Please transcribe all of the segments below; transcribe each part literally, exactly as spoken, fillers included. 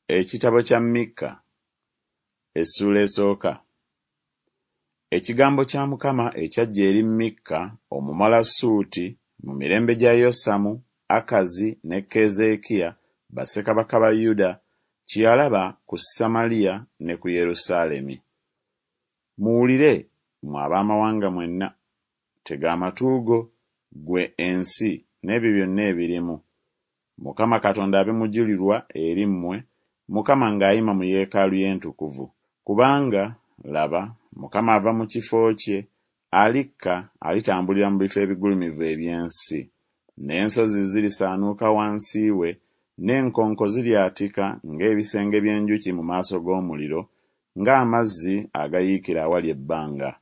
Ekitabo kya Mikka essuula esooka. Ekigambo kya Mukama ekyajja eri Mikka Omumalasuuti mu mirembe gya Yosamu, Akazi ne Keezeekiya bassekabaka ba Yuda, kye yalaba ku Samaliya ne ku Yerusaalemi. Muwulire, mmwe ab'amawanga mwenna, tega amatu go, ggwe ensi, n'ebyo byonna ebirimu. Mukama Katonda abe mujulirwa eri mmwe, Mukama ng'ayima mu yeekaalu ye entukuvu. Kubanga, laba, Mukama ava mu kifo kye, alikka alitambulira mu bifo ebigulumivu eby'ensi. N'ensozi zirisaanuuka wansi we, n'enkonko ziryatika ng'ebisenge by'enjuki mu maaso g'omuliro, ng'amazzi agayiikira awali ebbanga.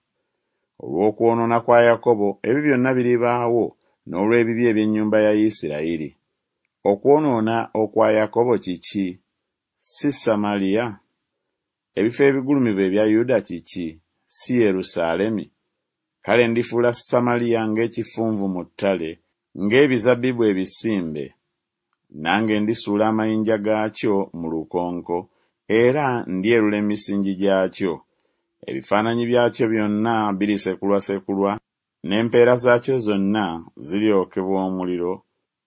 Olw'okwonoona kwa Yakobo ebyo byonna biribaawo, n'olw'ebibi eby'ennyumba ya Isirayiri. Okwonoona okwa Yakobo kiki? Si Samaliya? Ebifo ebigulumivu ebya Yuda kiki? Si Yerusaalemi? Kale ndifuula Samaliya ng'ekifunvu mu ttale, ng'ebizabbibu ebisimbe. Nange ndisuula amayinja gaakyo mu lukonko, era ndyerula emisingi gyakyo. Ebifaananyi byakyo byonna birisekulwasekulwa, n'empeera zaakyo zonna ziryokebwa omuliro,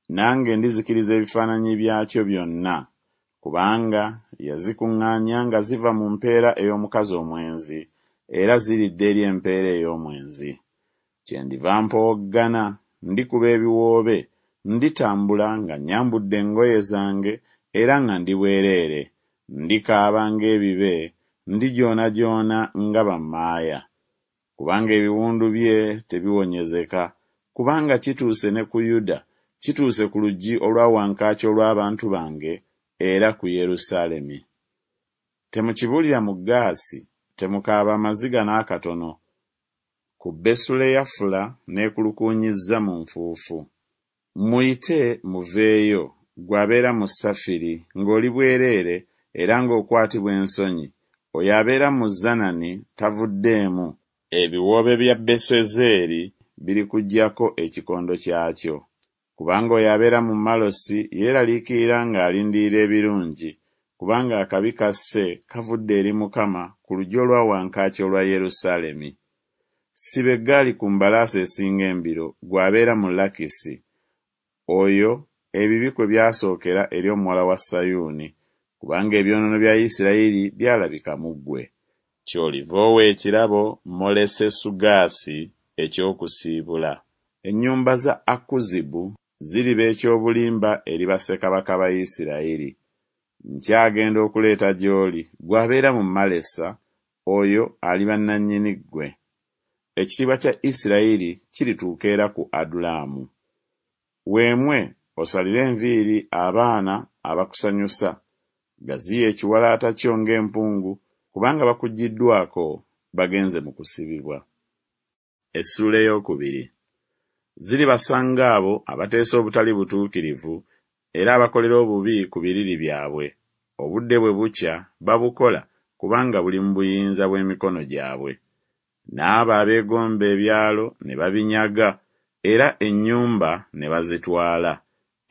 nange ndizikiriza ebifaananyi byakyo byonna, kubanga yazikuŋŋaanya nga ziva mu mpeera ey'omukazi omwenzi, era ziridda eri empeera ey'omwenzi. Kyendiva mpowoggana, ndikuba ebiwoobe, nditambula nga nnyambudde engoye zange era nga ndi bwereere, ndikaaba ng'ebibe, ndijoonajoona nga bammaaya. Kubanga ebiwundu bye tebiwonyezeka, kubanga kituuse ne ku Yuda, kituuse ku luggi olwa wankaaki olw'abantu bange, era ku Yerusaalemi. Temukibuulira mu Gaasi, temukaaba amaziga n'akatono, ku Besuleyafula neekulukuunyizza mu nfuufu. Muyite muveeyo, ggwe abeera mu Safiri, ng'oli bwereere era ng'okwatibwa ensonyi, oyo abeera mu Zanani tavuddeemu, ebiwoobe bya Besuezeri birikuggyako ekikondo kyakyo. Kubanga oyo abeera mu Malosi yeeraliikirira ng'alindirira ebirungi, kubanga akabi kasse kavudde eri Mukama ku luggi olwa wankaaki olwa Yerusaalemi. Siba eggaali ku mbalaasi esinga embiro, ggwe abeera mu Lakisi, oyo ebibi kwe byasookera eri omuwala wa Sayuuni, kubanga ebyonoono bya Isirayiri byalabika mu ggwe. Ky'oliva owa ekirabo Molesesugaasi eky'okusiibula. Ennyumba za Akuzibu ziriba eky'obulimba eri bassekabaka ba Isirayiri. Nkyagenda okuleeta gy'oli, ggwe abeera mu Malesa, oyo aliba nnannyini ggwe. Ekitiibwa kya Isirayiri kirituuka era ku Adulamu. Weemwe osalire enviiri abaana abakusanyusa, gaziya ekiwalaata kyo ng'empungu, kubanga bakuggyiddwako bagenze mu kusibibwa. Essuula ey'okubiri. Ziribasanga abo abateesa obutali butuukirivu era abakolera obubi ku biriri byabwe. Obudde bwe bukya babukola kubanga buli mu buyinza bw'emikono gyabwe. N'abo abeegomba ebyalo ne babinyaga era ennyumba ne bazitwala,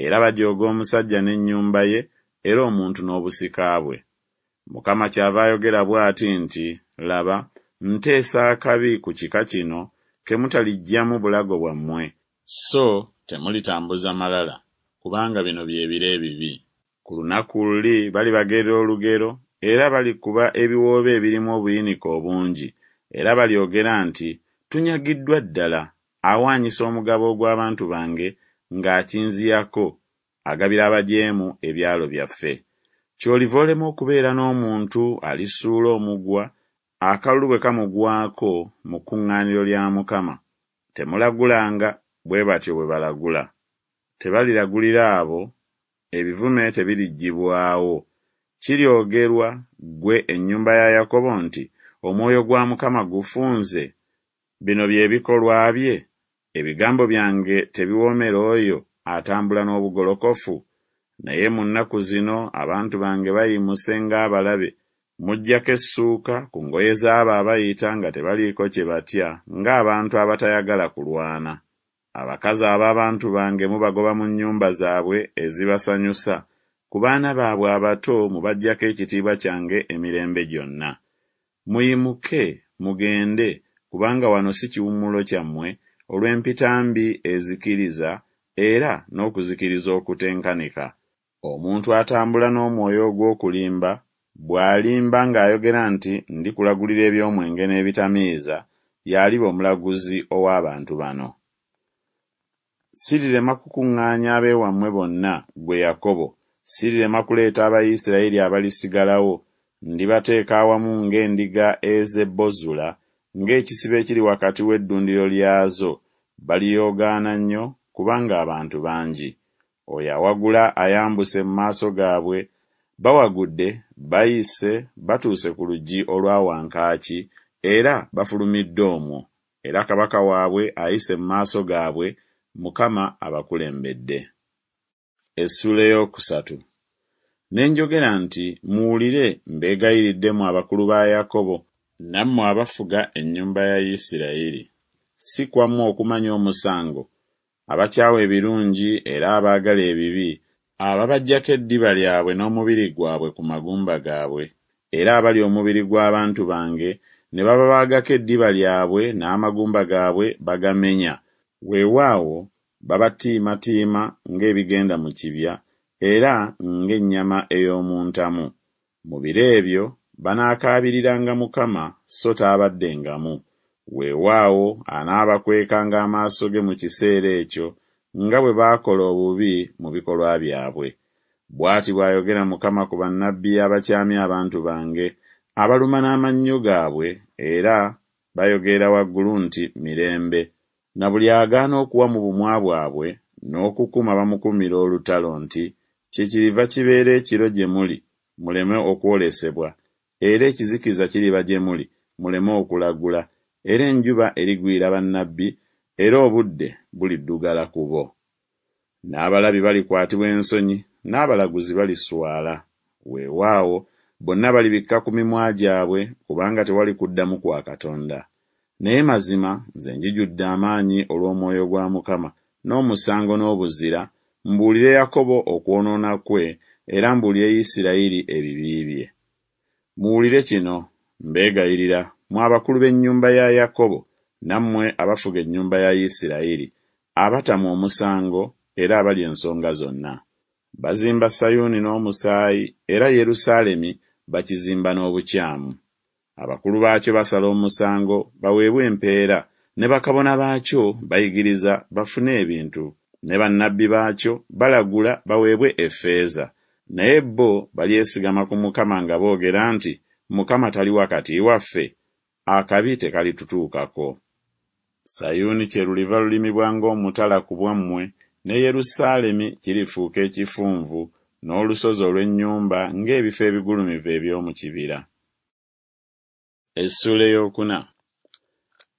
era bajooga omusajja n'ennyumba ye era omuntu n'obusika bwe. Mukama kyava ayogera bw'ati nti, Laba, nteesa akabi ku kika kino ke mutaliggyamu bulago bwammwe, so temulitambuza malala, kubanga bino bye biro ebibi. Ku lunaku luli balibagerera olugero, era balikuba ebiwoobe ebirimu obuyinike obungi, era balyogera nti Tunyagiddwa ddala, awaanyisa omugabo ogw'abantu bange ng'akinziyako, agabira abajeemu ebyalo byaffe. Ky'oliva olema okubeera n'omuntu alisuula omugwa, akalulu bwe kamugwako mu kuŋŋaaniro lya Mukama. Temulagulanga, bwe batyo bwe balagula. Tebaliragulira abo, ebivume tebiriggyibwawo. Kiryogerwa ggwe ennyumba ya Yakobo nti Omwoyo gwa Mukama gufunze? Bino bye bikolwa bye? Ebigambo byange tebiwoomera oyo atambula n'obugolokofu? Naye mu nnaku zino abantu bange bayimuse ng'abalabe, muggyako essuuka ku ngoye z'abo abayita nga tebaliiko kye batya ng'abantu abatayagala kulwana. Abakazi ab'abantu bange mubagoba mu nnyumba zaabwe ezibasanyusa, ku baana baabwe abato mubaggyako ekitiibwa kyange emirembe gyonna. Muyimuke, mugende, kubanga wano si kiwummulo kyammwe, olw'empitambi ezikiriza era n'okuzikiriza okutenkanika. Omuntu atambula n'omwoyo ogw'okulimba, bw'alimba ng'ayogera nti Ndikulagulira eby'omwenge n'ebitamiiza, y'aliba omulaguzi ow'abantu bano. Sirirema kukuŋŋaanya ab'ewammwe bonna, ggwe Yakobo, sirirema kuleeta Abayisirayiri abalisigalawo. Ndibateeka awamu ng'endiga ez'e Bozula, ng'ekisibo ekiri wakati w'eddundiro lyazo, baliyoogaana nnyo, kubanga abantu bangi. Oyo awagula ayambuse mu maaso gaabwe, bawagudde, bayise, batuuse ku luggi olwa wankaaki, era bafulumidde omwo, era kabaka waabwe ayise mu maaso gaabwe, Mukama abakulembedde. Essuula ey'okusatu. Ne njogera nti Muwulire, mbeegayiridde mmwe abakulu ba Yakobo, nammwe abafuga ennyumba ya Isirayiri. Si kwammwe okumanya omusango, abakyawa ebirungi era abaagala ebibi, ababaggyako eddiba lyabwe n'omubiri gwabwe ku magumba gaabwe, era abalya omubiri gw'abantu bange, ne bababaagako eddiba lyabwe n'amagumba gaabwe bagamenya, weewaawo, babatiimatiima ng'ebigenda mu kibya, era ng'ennyama ey'omu ntamu. Mu biro ebyo banaakaabiriranga Mukama, so taabaddengamu. Weewaawo anaabakwekanga amaaso ge mu kiseera ekyo, nga bwe baakola obubi mu bikolwa byabwe. Bw'ati bw'ayogera Mukama ku bannabbi abakyamya abantu bange, abaluma n'amannyo gaabwe, era bayogerera waggulu nti Mirembe, na buli agaana okuwa mu bumwa bwabwe, n'okukuma bamukumira olutalo nti Kyekiriva kibeera ekiro gye muli, muleme okwolesebwa, era ekizikiza kiriba gye muli, muleme okulagula, era enjuba erigwira bannabbi, era obudde buliddugala ku bo. N'abalabi balikwatibwa ensonyi, n'abalaguzi baliswala, weewaawo, bonna balibikka ku mimwa gyabwe, kubanga tewali kuddamu kwa Katonda. Naye mazima nze njijudde amaanyi olw'omwoyo gwa Mukama, n'omusango n'obuzira, mbuulire Yakobo okwonoona kwe, era mbuulire Isirayiri ebibi bye. Muwulire kino, mbeegayirira, mmwe abakulu b'ennyumba ya Yakobo, nammwe abafuga ennyumba ya Isirayiri, abatamwa omusango era abalya ensonga zonna. Bazimba Sayuuni n'omusaayi, era Yerusaalemi bakizimba n'obukyamu. Abakulu baakyo basala omusango, baweebwe empeera, ne bakabona baakyo bayigiriza bafune ebintu, ne bannabbi baakyo balagula baweebwe effeeza. Naye bo balyesigama ku Mukama nga boogera nti Mukama tali wakati waffe? Akabi tekalitutuukako. Sayuuni kyeruliva lulimibwa ng'omutala ku bwammwe, ne Yerusaalemi kirifuuka ekifunvu, n'olusozi olw'ennyumba ng'ebifo ebigulumivu eby'omu kibira. Essuula ey'okuna.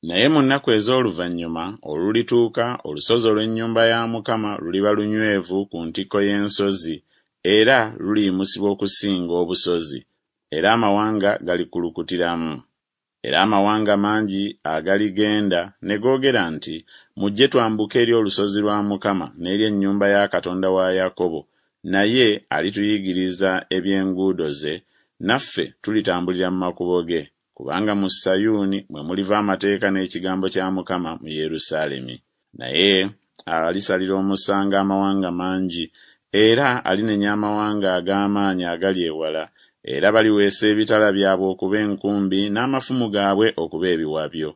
Naye mu nnaku ez'oluvannyuma olulituuka, olusozi olw'ennyumba ya Mukama luliba lunywevu ku ntikko y'ensozi, era luliyimusibwa okusinga obusozi, era amawanga galikulukutiramu. Era amawanga mangi agaligenda ne googera nti Mujje twambuke eri olusozi lwa Mukama n'eri ennyumba ya Katonda wa Yakobo, naye alituyigiriza eby'enguudo ze, naffe tulitambulira mu makubo ge. Kubanga mu Sayuuni mwe muliva amateeka n'ekigambo kya Mukama mu Yerusaalemi. Naye alisalira omusango amawanga mangi, era alinenya amawanga ag'amaanyi agali ewala, era baliweesa ebitala byabwe okuba enkumbi n'amafumu gaabwe okuba ebiwabyo.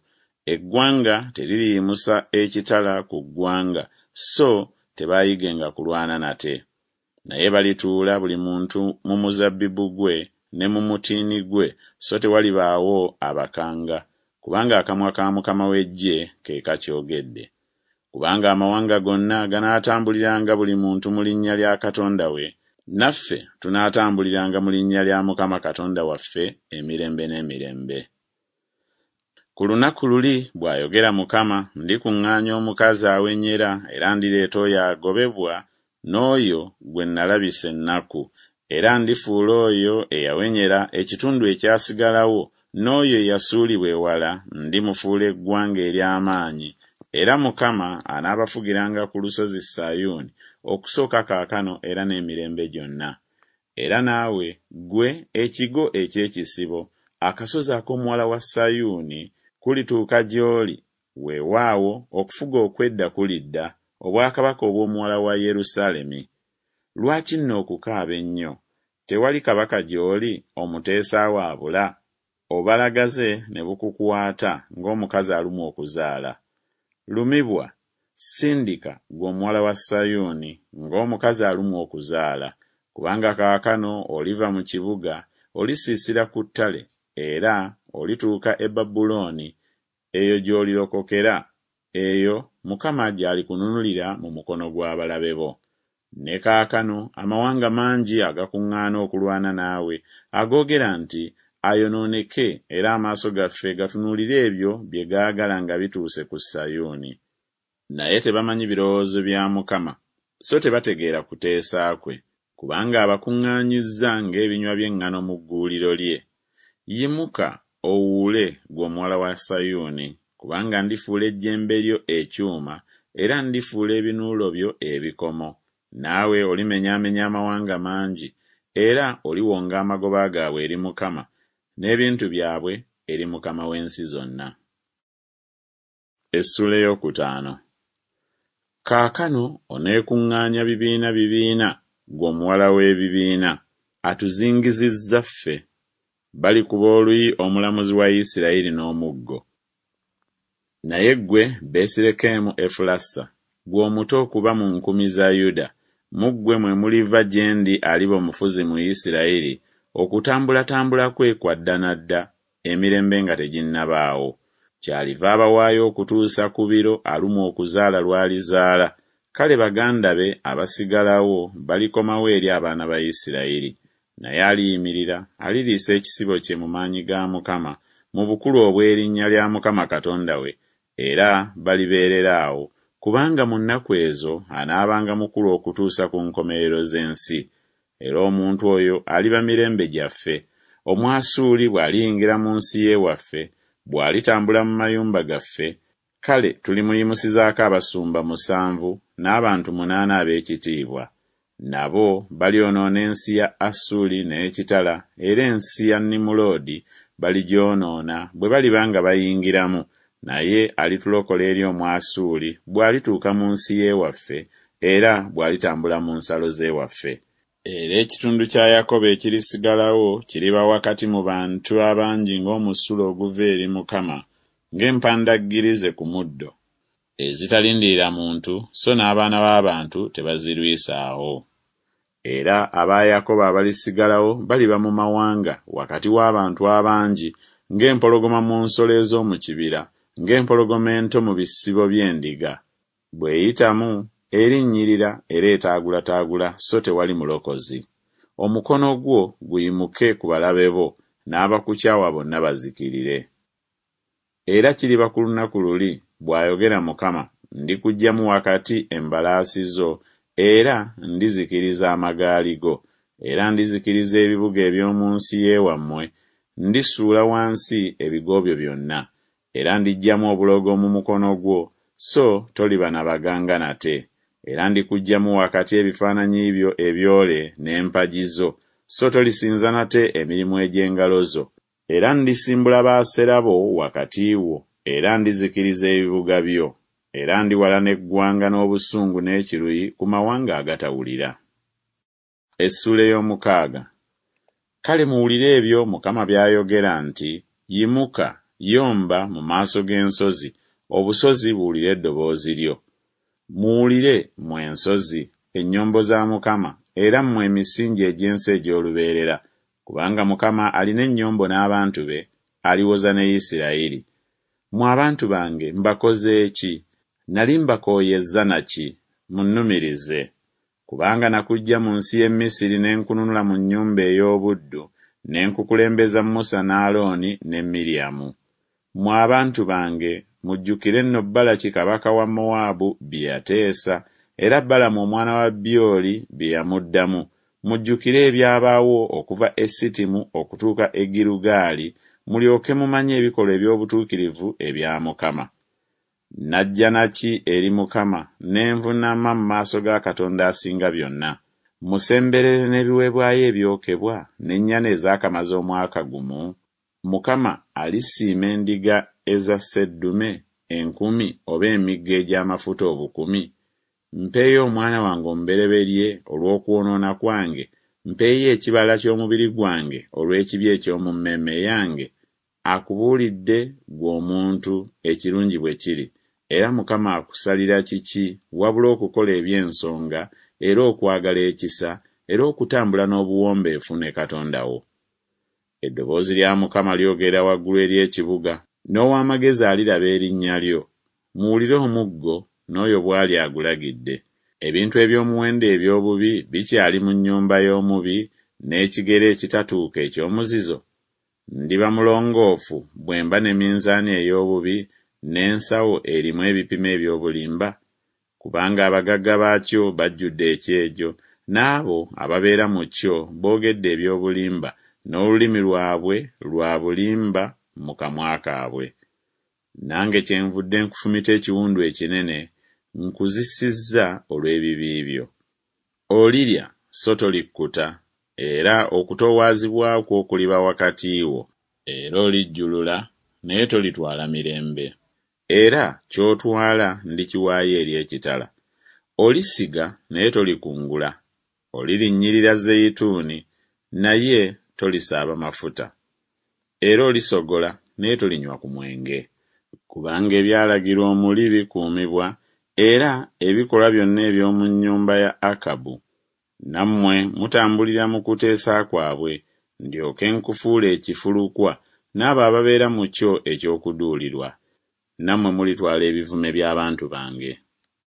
Eggwanga teririyimusa ekitala ku ggwanga, so tebaayigenga kulwana nate. Naye balituula buli muntu mu muzabbibu gwe ne mu mutiini gwe, so tewalibaawo abakanga, kubanga akamwa ka Mukama w'eggye ke kakyogedde. Kubanga amawanga gonna ganaatambuliranga buli muntu mu linnya lya Katonda we, naffe tunaatambuliranga mu linnya lya Mukama Katonda waffe emirembe n'emirembe. Ku lunaku luli, bw'ayogera Mukama, ndikuŋŋaanya omukazi awenyera, era ndireeta oyo agobebwa n'oyo gwe nalabisa ennaku, era ndifuula oyo eyawenyera ekitundu ekyasigalawo, n'oyo eyasuulibwa ewala ndimufuula eggwanga ery'amaanyi, era Mukama anaabafugiranga ku lusozi Sayuuni okusooka kaakano era n'emirembe gyonna. Era naawe, ggwe ekigo eky'ekisibo, akasozi ak'omuwala wa Sayuuni, kulituuka gy'oli, weewaawo, okufuga okw'edda kulidda, obwakabaka obw'omuwala wa Yerusaalemi. Lwaki nno okukaaba ennyo? Tewali kabaka gy'oli, omuteesa wo abula? Obubalagaze ne bukukwata ng'omukazi alumwa okuzaala. Lumibwa, sindika, ggwe omuwala wa Sayuuni, ng'omukazi alumwa okuzaala, kubanga kaakano oliva mu kibuga, olisiisira ku ttale, era olituuka e Babulooni, eyo gy'olirokokera, eyo Mukama gy'alikununulira mu mukono gw'abalabe bo. Ne kaakano amawanga mangi agakuŋŋaana okulwana naawe, agoogera nti Ayonooneke, era amaaso gaffe gatunuulire ebyo bye gaagala nga bituuse ku Sayuuni. Naye tebamanyi birowoozo bya Mukama, so tebategeera kuteesa kwe, kubanga abakuŋŋaanyizza ng'ebinywa by'eŋŋano mu gguuliro lye. Yimuka, owuule, ggwe omuwala wa Sayuuni, kubanga ndifuula ejjembe lyo ekyuma, era ndifuula ebinuulo byo ebikomo, naawe olimenyaamenya amawanga mangi, era oliwonga amagoba gaabwe eri Mukama, n'ebintu byabwe eri Mukama w'ensi zonna. Essuula ey'okutaano. Kaakano oneekuŋŋaanya bibiina bibiina, ggwe omuwala w'ebibiina, atuzingizizza ffe. Balikuba oluyi omulamuzi wa Isirayiri n'omuggo. Naye ggwe Besirekemu Efulasa, ggwe omuto okuba mu nkumi za Yuda, mu ggwe mwe muliva gye ndi aliba omufuzi mu Isirayiri, okutambulatambula kwe kwa dda na dda, emirembe nga teginnabaawo. Kyaliva abawaayo okutuusa ku biro alumwa okuzaala lw'alizaala, kale baganda be abasigalawo balikomawo eri abaana ba Isirayiri. Naye aliyimirira, aliriisa ekisibo kye mu maanyi ga Mukama, mu bukulu obw'erinnya lya Mukama Katonda we, era balibeerera awo, kubanga mu nnaku ezo anaabanga mukulu okutuusa ku nkomerero z'ensi. Era omuntu oyo aliba mirembe gyaffe, Omwasuuli bw'aliyingira mu nsi y'ewaffe, bw'alitambula mu mayumba gaffe, kale tulimuyimusizaako abasumba musanvu n'abantu munaana ab'ekitiibwa. Nabo balyonoona ensi ya Asuli n'ekitala, era ensi ya Nimuloodi baligyonoona bwe baliba nga bayingiramu, naye alitulokola eri Omwasuuli bw'alituuka mu nsi y'ewaffe, era bw'alitambula mu nsalo z'ewaffe. Era ekitundu kya Yakobo ekirisigalawo kiriba wakati mu bantu abangi ng'omusulo oguva eri Mukama, ng'empandaggirize ku muddo, ezitalindirira muntu, so n'abaana b'abantu tebazirwisaawo. Era aba Yakobo abalisigalawo baliba mu mawanga wakati w'abantu abangi, ng'empologoma mu nsolo ez'omu kibira, ng'empologoma ento mu bisibo by'endiga, bw'eyitamu erinnyirira era etaagulataagula so tewali mulokozi. Omukono gwo guyimuke ku balabe bo, n'abakukyawa bonna bazikirire. Era kiriba ku lunaku luli, bw'ayogera Mukama, ndikuggyamu wakati embalaasi zo, era ndizikiriza amagaali go, era ndizikiriza ebibuga eby'omu nsi y'ewammwe, ndisuula wansi ebigo byo byonna. Era ndiggyamu obulogo mu mukono gwo, so toliba na baganga nate. Era ndikuggyamu wakati ebifaananyi byo ebyole n'empagi zo, so tolisinza nate emirimu egy'engalo zo. Era ndisimbula Baasera bo wakati wo, era ndizikiriza ebibuga byo. Era ndiwalana eggwanga n'obusungu n'ekiruyi ku mawanga agatawulira. Essuula ey'omukaaga. Kale muwulire ebyo Mukama by'ayogera nti, Yimuka, yomba mu maaso g'ensozi, obusozi buwulire eddoboozi lyo. Muwulire, mmwe ensozi, ennyombo za Mukama, era mmwe emisingi egy'ensi egy'olubeerera, kubanga Mukama alina ennyombo n'abantu be, aliwoza ne Isirayiri. Mmwe abantu bange mbakoze ki? Nali mbakooyezza na ki? Munnumirize. Kubanga nakuggya mu nsi y'e Misiri ne nkununula mu nnyumba ey'obuddu, ne nkukulembeza Musa ne Alooni ne Miryamu. Mmwe abantu bange, mujjukire nno Balaki kabaka wa Mowaabu bye yateesa, era Balamu omwana wa Byoli bye yamuddamu. Mujjukire ebyabaawo okuva e Sittimu okutuuka e Girugaali, mulyoke mumanye ebikolwa eby'obutuukirivu ebya Mukama. Najja na ki eri Mukama, ne nvuunama mu maaso ga Katonda asinga byonna? Mmusemberere n'ebiweebwayo ebyokebwa n'ennyana ezaakamaze omwaka gumu? Mukama alisiima endiga eza sseddume enkumi oba emigga egy'amafuta obukumi? Mpeeyo omwana wange omubereberye olw'okwonoona kwange, mpeeyo ekibala ky'omubiri gwange olw'ekibi eky'omu mmeeme yange? Akubuulidde ggwe omuntu ekirungi bwe kiri, era Mukama akusalira kiki wabula okukola eby'ensonga era okwagala ekisa era okutambula n'obuwombeefu ne Katonda wo? Eddoboozi lya Mukama lyogerera waggulu eri ekibuga, n'ow'amagezi aliraba erinnya lyo. Muwulire omuggo, n'oyo bw'ali agulagidde. Ebintu eby'omuwendo eby'obubi bikyali mu nnyumba y'omubi, N'ekigere ekitatuuka eky'omuzizo? Ndiba mulongoofu bwe mba ne minzaani ey'obubi, N'ensawo erimu ebipimo eby'obulimba? Kubanga abagagga baakyo bajjudde ekyejo, N'abo ababeera mu kyo boogedde eby'obulimba, N'olulimi lwabwe lwa bulimba mu kamwa kaabwe. Nange kyenvudde nkufumita ekiwundu ekinene, Nkuzisizza olw'ebibi byo. Olirya so tolikkuta, Era okutoowazibwa kwo kuliba wakati wo. Era olijjulula, naye tolitwala mirembe, Era ky'otwala ndikiwaayo eri ekitala. Olisiga naye tolikungula, Olirinnyirira zeyituuni, naye tolisaaba mafuta, Era olisogola naye tolinywa ku mwenge. Kubanga ebyalagirwa Omuli bikuumibwa, Era ebikolwa byonna eby'omu nnyumba ya Akabu, nammwe mutambulira mu kuteesa kwabwe, Ndyoke nkufuule ekifulukwa, n'abo ababeera mu kyo eky'okuduulirwa, Nammwe mulitwala ebivume by'abantu bange.